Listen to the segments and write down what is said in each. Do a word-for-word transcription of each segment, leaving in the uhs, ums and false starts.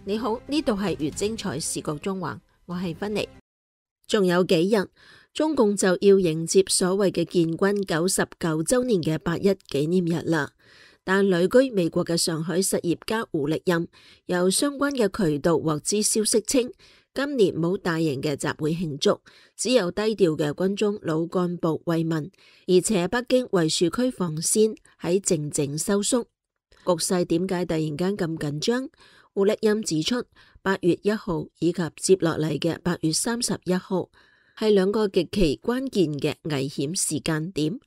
你好，呢度係粵精彩視覺中環，我係芬妮。仲有幾日，中共就要迎接所謂嘅建軍九十九週年嘅八一紀念日啦。但旅居美國嘅上海實業家胡力任由相關嘅渠道獲知消息稱，今年冇大型嘅集會慶祝，只有低調嘅軍中老幹部慰問，而且北京維樹區防線喺靜靜收縮。局勢點解突然間咁緊張？胡力任指出，八月一號以及接落嚟嘅八月三十一號係兩個極其關鍵嘅危險時間點。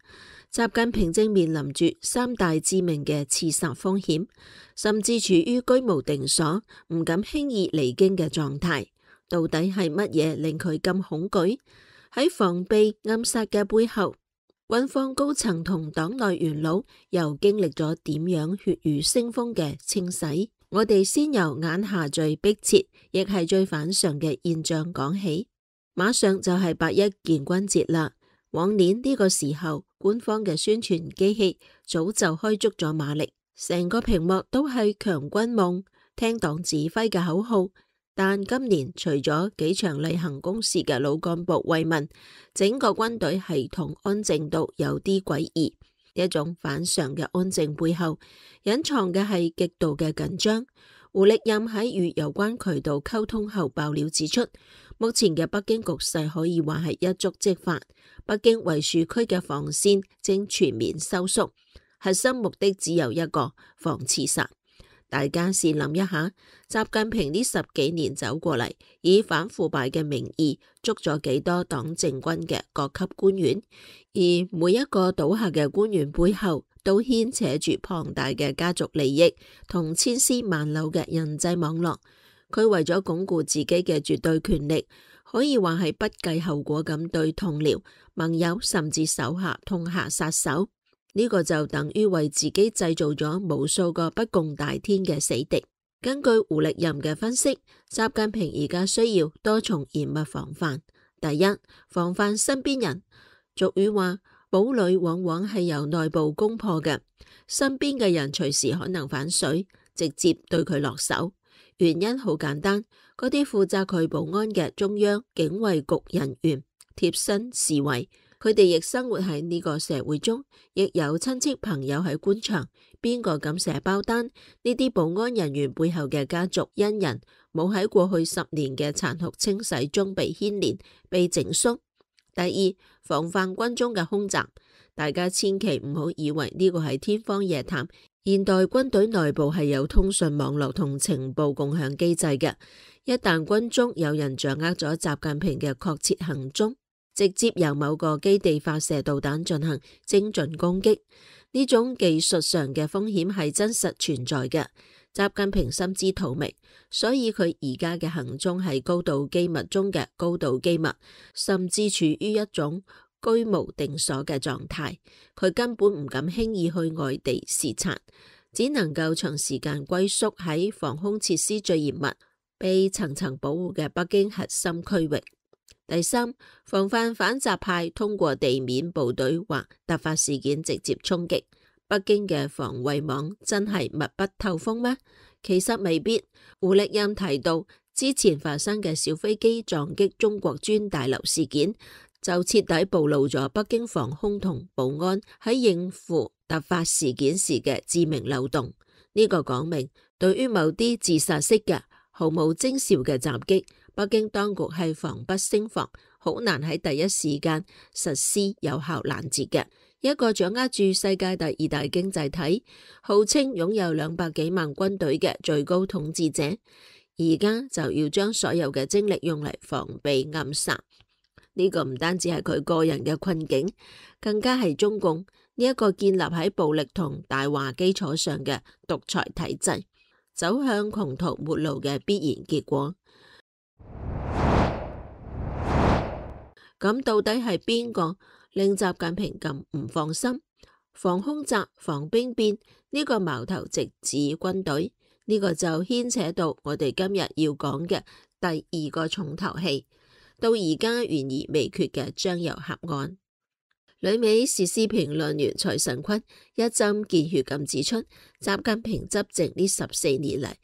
習近平正面臨住三大致命嘅刺殺風險，甚至處於居無定所、唔敢輕易離京嘅狀態。到底係乜嘢令佢咁恐懼？喺防備暗殺嘅背後，軍方高層同黨內元老又經歷咗點樣血雨腥風嘅清洗？我哋先由眼下最迫切，亦係最反常嘅現象講起。馬上就係八一建軍節啦。往年呢個時候，官方嘅宣傳機器早就開足咗馬力，成個屏幕都係強軍夢、聽黨指揮嘅口號。但今年除咗幾場例行公事嘅老幹部慰問，整個軍隊系統安靜到有啲詭異。一種反常嘅安靜背後，隱藏嘅係極度嘅緊張。胡力任喺與有關渠道溝通後爆料指出，目前嘅北京局勢可以話係一觸即發，北京維樹區嘅防線正全面收縮，核心目的只有一個：防刺殺。大家試諗一下，習近平呢十幾年走過嚟，以反腐敗嘅名義捉咗幾多黨政軍嘅各級官員，而每一個倒下嘅官員背後都牽扯住龐大嘅家族利益同千絲萬縷嘅人際網絡。佢為咗鞏固自己嘅絕對權力，可以話係不計後果咁對同僚、盟友甚至手下痛下殺手。呢個就等於為自己製造咗無數個不共戴天嘅死敵。根據胡力任嘅分析，習近平而家需要多重嚴密防範。第一，防範身邊人。俗語話，堡壘往往係由內部攻破嘅，身邊嘅人隨時可能反水，直接對佢落手。原因好簡單，嗰啲負責佢保安嘅中央警衛局人員貼身侍衛。佢哋亦生活喺呢個社會中，亦有親戚朋友喺官場，邊個敢寫包單？呢啲保安人員背後嘅家族恩人，冇喺過去十年嘅殘酷清洗中被牽連、被整肅。第二，防範軍中嘅空襲。大家千祈唔好以為呢個係天方夜譚，現代軍隊內部係有通訊網絡同情報共享機制嘅。一旦軍中有人掌握咗習近平嘅確切行蹤，直接由某個基地發射導彈進行精準攻擊，呢種技術上嘅風險係真實存在嘅。習近平心知肚明，所以佢而家嘅行蹤係高度機密中嘅高度機密，甚至處於一種居無定所嘅狀態。佢根本唔敢輕易去外地視察，只能夠長時間龜縮喺防空設施最嚴密、被層層保護嘅北京核心區域。第三，防範反習派通過地面部隊或突發事件直接衝擊。北京嘅防衛網真係密不透風咩？其實未必。胡力任提到，之前發生嘅小飛機撞擊中國專大樓事件，就徹底暴露咗北京防空同保安喺應付突發事件時嘅致命漏洞。呢個講明，對於某啲自殺式嘅毫無徵兆嘅襲擊，北京當局係防不勝防，好難喺第一時間實施有效攔截嘅。一個掌握住世界第二大經濟體，號稱擁有兩百幾萬軍隊嘅最高統治者，而家就要將所有嘅精力用嚟防備暗殺。呢個唔單止係佢個人嘅困境，更加係中共呢一個建立喺暴力同大話基礎上嘅獨裁體制走向窮途末路嘅必然結果。咁到底係邊個令習近平咁唔放心？防空襲、防兵變呢個矛頭直指軍隊，呢個就牽扯到我哋今日要講嘅第二個重頭戲，到而家懸而未決嘅張又俠案。旅美時事評論員蔡慎坤一針見血咁指出，習近平執政呢十四年嚟，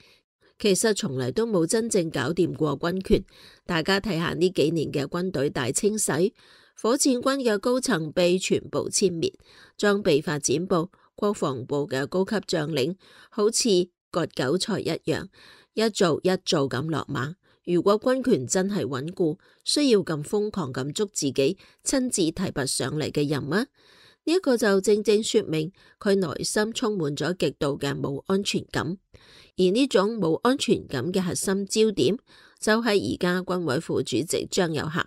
其實從嚟都冇真正搞掂過軍權。大家睇下呢幾年嘅軍隊大清洗，火箭軍嘅高層被全部殲滅，裝備發展部、國防部嘅高級將領好似割韭菜一樣，一做一做咁落馬。如果軍權真係穩固，需要咁瘋狂咁捉自己親自提拔上嚟嘅人嗎？呢一個就正正說明佢內心充滿咗極度嘅冇安全感，而呢種冇安全感嘅核心焦點就係而家軍委副主席張又俠。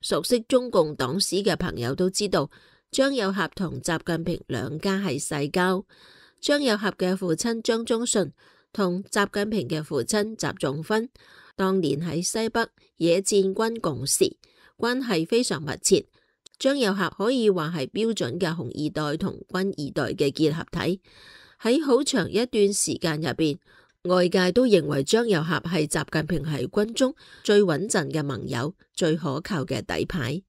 熟悉中共黨史嘅朋友都知道，張又俠同習近平兩家係世交。張又俠嘅父親張宗順同習近平嘅父親習仲勳當年喺西北野戰軍共事，關係非常密切。張又俠可以話係標準嘅紅二代同軍二代嘅結合體。喺好長一段時間入邊，外界都認為張又俠係習近平喺軍中最穩陣嘅盟友，最可靠嘅底牌。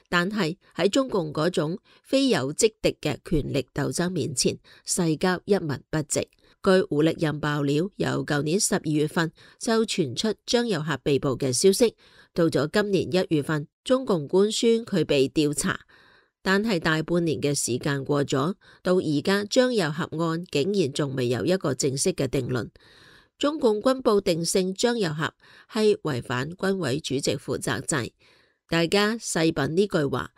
但係喺中共嗰種非友即敵嘅權力鬥爭面前，世交一文不值。據胡力任爆料，由舊年十二月份就傳出張又俠被捕嘅消息，到咗今年一月份，中共官宣佢被調查，但係大半年嘅時間過咗，到而家張又俠案竟然仲未有一個正式嘅定論。中共軍報定性張又俠係違反軍委主席負責制。大家細品呢句話，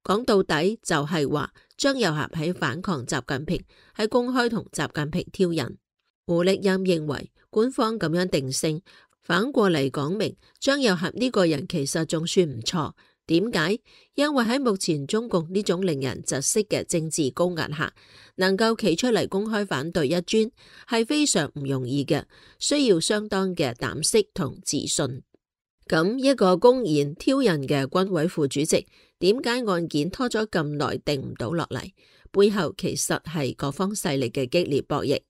講到底就係話張又俠喺反抗習近平，喺公開同習近平挑釁。胡力任認為官方咁樣定性，反過嚟講明張又俠呢個人其實仲算唔錯。點解？因為喺目前中共呢種令人窒息嘅政治高壓下，能夠企出嚟公開反對一尊係非常唔容易嘅，需要相當嘅膽識同自信。咁一個公然挑釁嘅軍委副主席，點解案件拖咗咁耐定唔到落嚟？背後其實係各方勢力嘅激烈博弈。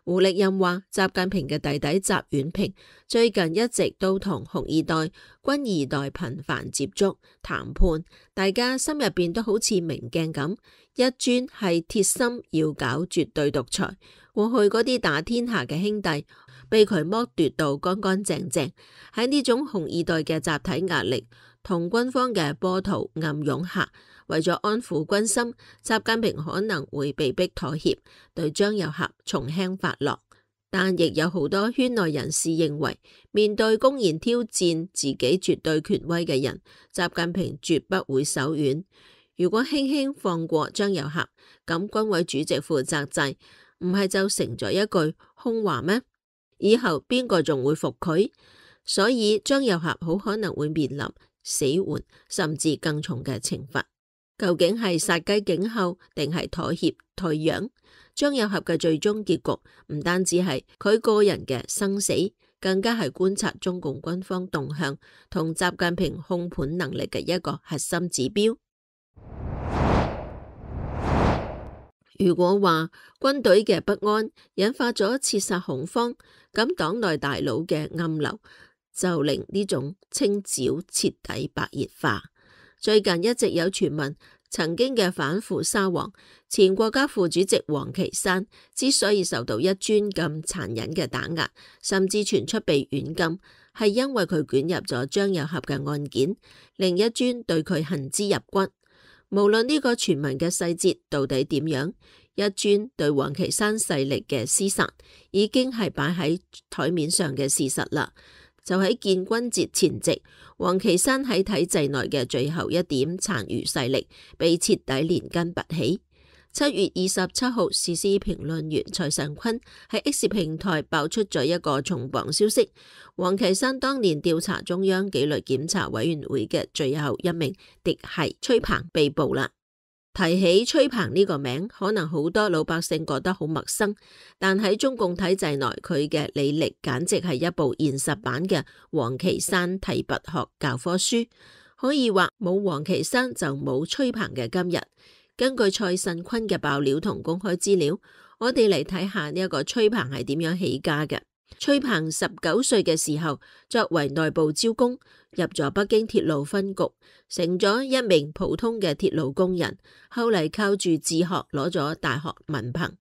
胡力任話，習近平嘅弟弟習遠平最近一直都同紅二代、軍二代頻繁接觸談判，大家心入邊都好似明鏡咁，一尊係鐵心要搞絕對獨裁，過去嗰啲打天下嘅兄弟被佢剝奪到乾乾淨淨。喺呢種紅二代嘅集體壓力同軍方嘅波濤暗湧下，為咗安撫軍心，習近平可能會被迫妥協，對張又俠從輕發落。但亦有好多圈內人士認為，面對公然挑戰自己絕對權威嘅人，習近平絕不會手軟。如果輕輕放過張又俠，咁軍委主席負責制唔係就成咗一句空話咩？以後邊個仲會服佢？所以張又俠好可能會面臨死緩甚至更重嘅懲罰。究竟係殺雞儆猴定係妥協退讓？張又俠嘅最終結局唔單止係佢個人嘅生死，更加係觀察中共軍方動向同習近平控盤能力嘅一個核心指標。如果話軍隊嘅不安引發咗切殺恐慌，咁黨內大佬嘅暗流就令呢種清剿徹底白熱化。最近一直有傳聞，曾經嘅反腐沙皇、前國家副主席王岐山之所以受到一尊咁殘忍嘅打壓，甚至傳出被軟禁，係因為佢捲入咗張又俠嘅案件，令一尊對佢恨之入骨。無論呢個傳聞嘅細節到底點樣，一尊對王岐山勢力嘅廝殺已經係擺喺台面上嘅事實啦。就喺建軍節前夕，王岐山喺體制內嘅最後一點殘餘勢力被徹底連根拔起。七月二十七號，時事評論員蔡尚坤喺 X 平台爆出咗一個重磅消息：王岐山當年調查中央紀律檢查委員會嘅最後一名嫡系崔鵬被捕啦。提起崔鵬呢個名，可能好多老百姓覺得好陌生，但喺中共體制內，佢嘅履歷簡直係一部現實版嘅王岐山提拔學教科書，可以話冇王岐山就冇崔鵬嘅今日。根據蔡慎坤嘅爆料同公開資料，我哋嚟睇下呢一個崔鵬係點樣起家嘅。崔鵬十九歲嘅時候，作為內部招工，入咗北京鐵路分局，成咗一名普通嘅鐵路工人。後嚟靠住自學攞咗大學文憑。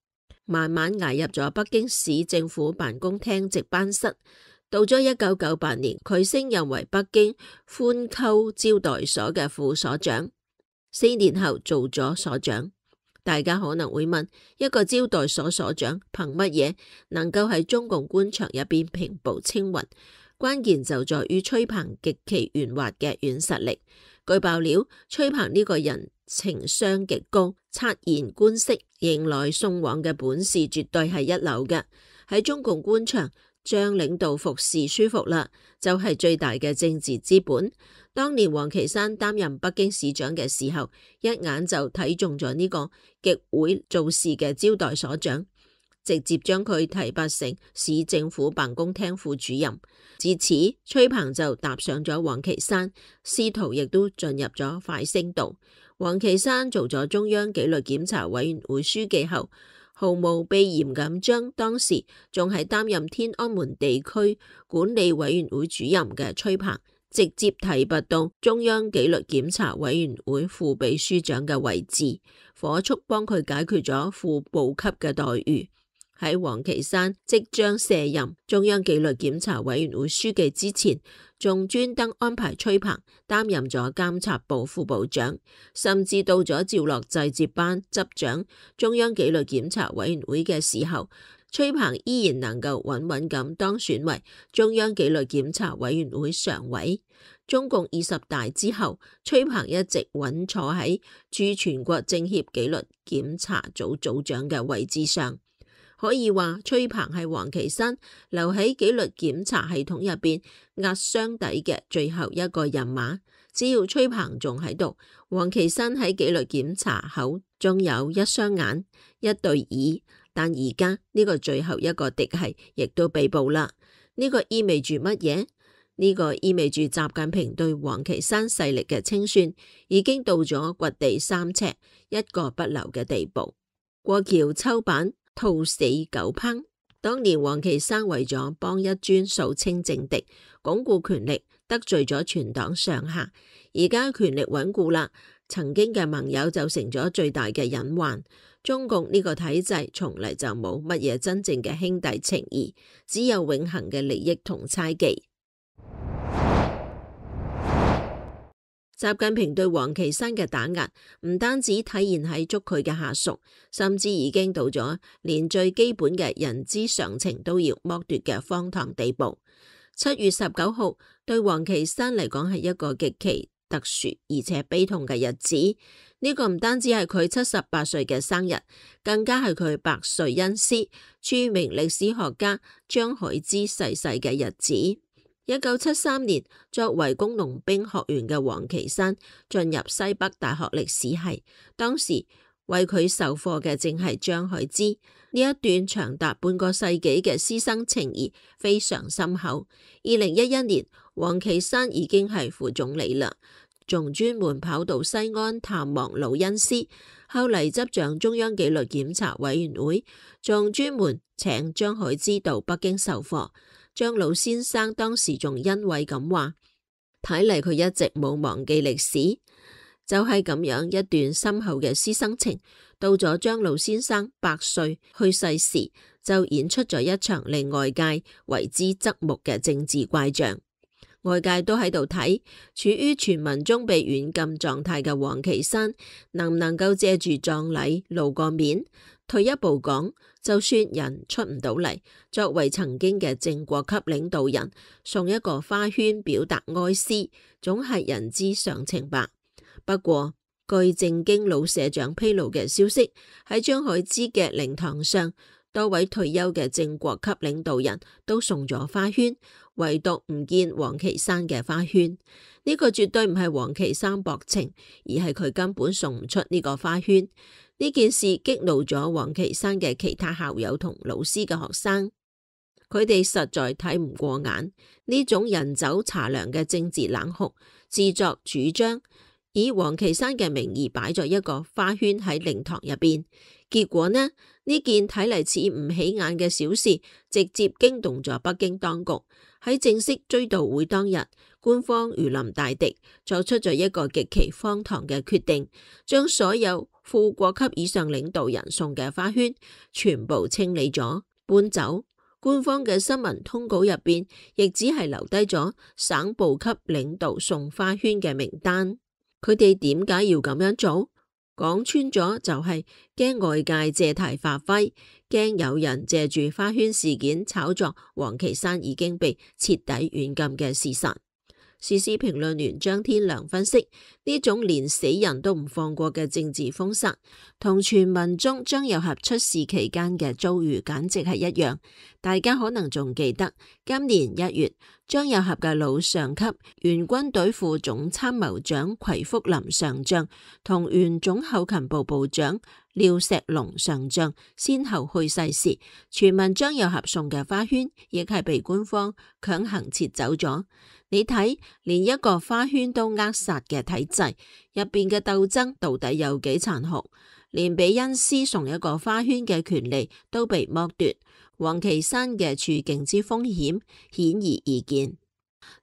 慢慢捱入咗北京市政府辦公廳值班室。到咗一九九八年，佢升任為北京寬溝招待所嘅副所長，四年後做咗所長。大家可能會問，一個招待所所長憑乜嘢能夠喺中共官場入邊平步青雲？關鍵就在於崔鵬極其圓滑嘅軟實力。據爆料，崔鵬呢個人情商極高，察言觀色、迎來送往嘅本事絕對係一流嘅。喺中共官場，將領導服侍舒服啦，就係最大嘅政治資本。當年王岐山擔任北京市長嘅時候，一眼就睇中咗呢個極會做事嘅招待所長，直接將佢提拔成市政府辦公廳副主任。自此，崔鵬就踏上咗王岐山，仕途亦都進入咗快升道。王岐山做咗中央紀律檢查委員會書記後，毫無避嫌咁將當時仲係擔任天安門地區管理委員會主任嘅崔鵬直接提拔到中央紀律檢查委員會副秘書長嘅位置，火速幫佢解決咗副部級嘅待遇。喺王岐山即將卸任中央紀律檢查委員會書記之前，仲專登安排崔鵬擔任咗監察部副部長，甚至到咗趙樂際接班執掌中央紀律檢查委員會嘅時候，崔鵬依然能夠穩穩咁當選為中央紀律檢查委員會常委。中共二十大之後，崔鵬一直穩坐喺駐全國政協紀律檢查組組長嘅位置上。可以話崔鵬係王岐山留喺紀律檢查系統入邊壓箱底嘅最後一個人馬。只要崔鵬仲喺度，王岐山喺紀律檢查口仲有一雙眼、一對耳。但而家呢個最後一個嫡系亦都被捕啦。呢個意味住乜嘢？呢個意味住習近平對王岐山勢力嘅清算已經到咗掘地三尺、一個不留嘅地步。過橋抽板，兔死狗烹。當年王岐山為咗幫一尊掃清政敵、鞏固權力，得罪咗全黨上下。而家權力穩固啦，曾經嘅盟友就成咗最大嘅隱患。中共呢個體制從嚟就冇乜嘢真正嘅兄弟情誼，只有永恆嘅利益同猜忌。習近平對王岐山嘅打壓唔單止體現喺捉佢嘅下屬，甚至已經到咗連最基本嘅人之常情都要剝奪嘅荒唐地步。七月十九號對王岐山嚟講係一個極其特殊而且悲痛嘅日子。呢、這個唔單止係佢七十八歲嘅生日，更加係佢百歲恩師、著名歷史學家張海之逝世嘅日子。一九七三年，作為工農兵學員嘅王岐山進入西北大學歷史系，當時為佢授課嘅正係張海之。呢一段長達半個世紀嘅師生情誼非常深厚。二零一一年，王岐山已經係副總理啦，仲專門跑到西安探望老恩師。後嚟執掌中央紀律檢查委員會，仲專門請張海之到北京授課。張老先生當時仲欣慰咁話：睇嚟佢一直冇忘記歷史。就係咁樣一段深厚嘅師生情，到咗張老先生百歲去世時，就演出咗一場令外界為之側目嘅政治怪象。外界都喺度睇，處於傳聞中被軟禁狀態嘅王岐山，能唔能夠借住葬禮露個面？退一步講，就算人出唔到嚟，作為曾經嘅正國級領導人，送一個花圈表達哀思，總係人之常情吧。不過，據正經老社長披露嘅消息，喺張海之嘅靈堂上，多位退休嘅正國級領導人都送咗花圈，唯獨唔見王岐山嘅花圈。呢個絕對唔係王岐山薄情，而係佢根本送唔出呢個花圈。呢件事激怒咗王岐山嘅其他校友同老師嘅學生，佢哋實在睇唔過眼呢種人走茶涼嘅政治冷酷，自作主張以王岐山嘅名義擺咗一個花圈喺靈堂入邊。結果呢，呢件睇嚟似唔起眼嘅小事，直接驚動咗北京當局。喺正式追悼會當日，官方如臨大敵，作出咗一個極其荒唐嘅決定，將所有副國級以上領導人送嘅花圈全部清理咗搬走。官方嘅新聞通稿入邊亦只係留低咗省部級領導送花圈嘅名單。佢哋點解要咁樣做？講穿咗就係驚外界借題發揮，驚有人借住花圈事件炒作王岐山已經被徹底軟禁嘅事實。時事評論員張天良分析，呢種連死人都唔放過嘅政治封殺，同傳聞中張又俠出事期間嘅遭遇簡直係一樣。大家可能仲記得，今年一月，張又俠嘅老上級原軍隊副總參謀長奎福林上將同原總後勤部部長廖石龍上將先後去世時，傳聞張又俠送嘅花圈亦係被官方強行撤走咗。你睇，連一個花圈都扼殺嘅體制入邊嘅鬥爭到底有幾殘酷？連俾恩師送一個花圈嘅權利都被剝奪，王岐山嘅處境之風險顯而易見。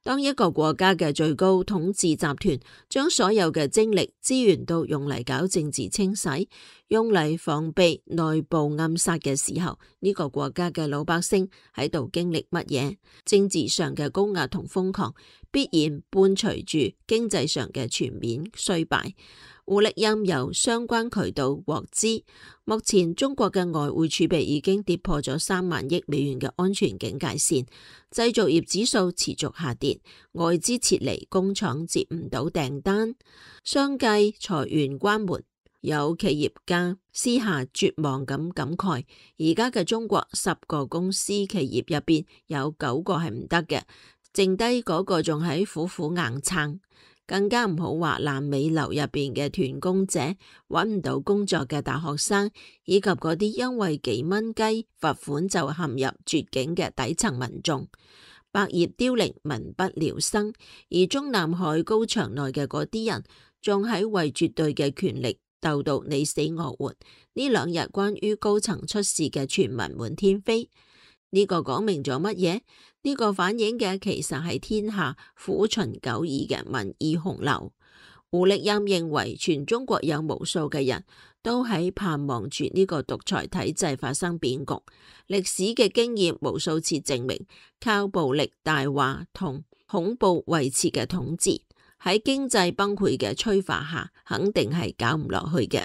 當一個國家嘅最高統治集團將所有嘅精力資源都用嚟搞政治清洗，用嚟防備內部暗殺嘅時候，呢個國家嘅老百姓喺度經歷乜嘢？政治上嘅高壓同瘋狂，必然伴隨住經濟上嘅全面衰敗。胡力欽由相關渠道獲知，目前中國嘅外匯儲備已經跌破咗三萬億美元嘅安全警戒線，製造業指數持續下跌，外資撤離，工廠接唔到訂單，相繼裁員關門。有企業家私下絕望咁感慨，而家嘅中國十個公司企業入邊有九個係唔得嘅，剩低嗰個仲喺苦苦硬撐。更加唔好話爛尾樓入邊嘅斷供者，揾唔到工作嘅大學生，以及嗰啲因為幾蚊雞罰款就陷入絕境嘅底層民眾，百業凋零，民不聊生。而中南海高牆內嘅嗰啲人，仲喺為絕對嘅權力鬥到你死我活。呢兩日關於高層出事嘅傳聞滿天飛，呢個講明咗乜嘢？呢個反映嘅其實係天下苦循久矣嘅民意洪流。胡力欽認為，全中國有無數嘅人都喺盼望住呢個獨裁體制發生變局。歷史嘅經驗無數次證明，靠暴力大話同恐怖維持嘅統治，喺經濟崩潰嘅催化下，肯定係搞唔落去嘅。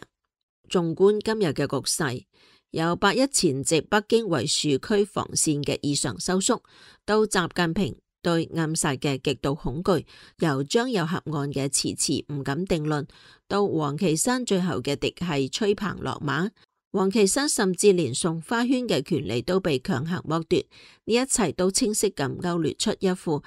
縱觀今日嘅局勢，由八一前夕北京為樹區防線嘅異常收縮，到習近平對暗殺嘅極度恐懼，由張又俠案嘅遲遲唔敢定論，到王岐山最後嘅嫡系吹棚落馬，王岐山甚至連送花圈嘅權利都被強行剝奪，呢一切都清晰咁勾勒出一副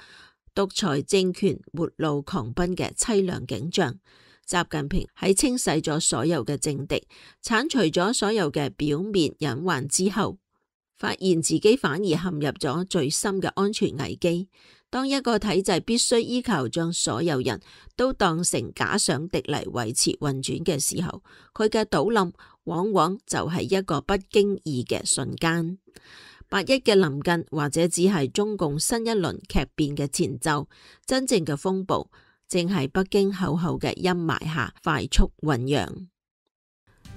獨裁政權末路狂奔嘅淒涼景象。習近平喺清洗咗所有嘅政敵，鏟除咗所有嘅表面隱患之後，發現自己反而陷入咗最深嘅安全危機。當一個體制必須依靠將所有人都當成假想敵嚟維持運轉嘅時候，佢嘅倒冧往往就係一個不經意嘅瞬間。八一嘅臨近或者只係中共新一輪劇變嘅前奏，真正嘅風暴正係北京厚厚嘅陰霾下快速醞釀。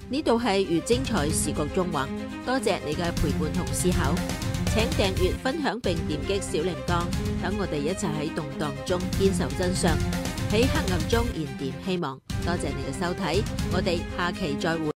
呢度係粵精彩時局縱橫，多謝你嘅陪伴同思考，請訂閱、分享並點擊小鈴鐺，等我哋一齊喺動盪中堅守真相，喺黑暗中燃點希望。多謝你嘅收睇，我哋下期再會。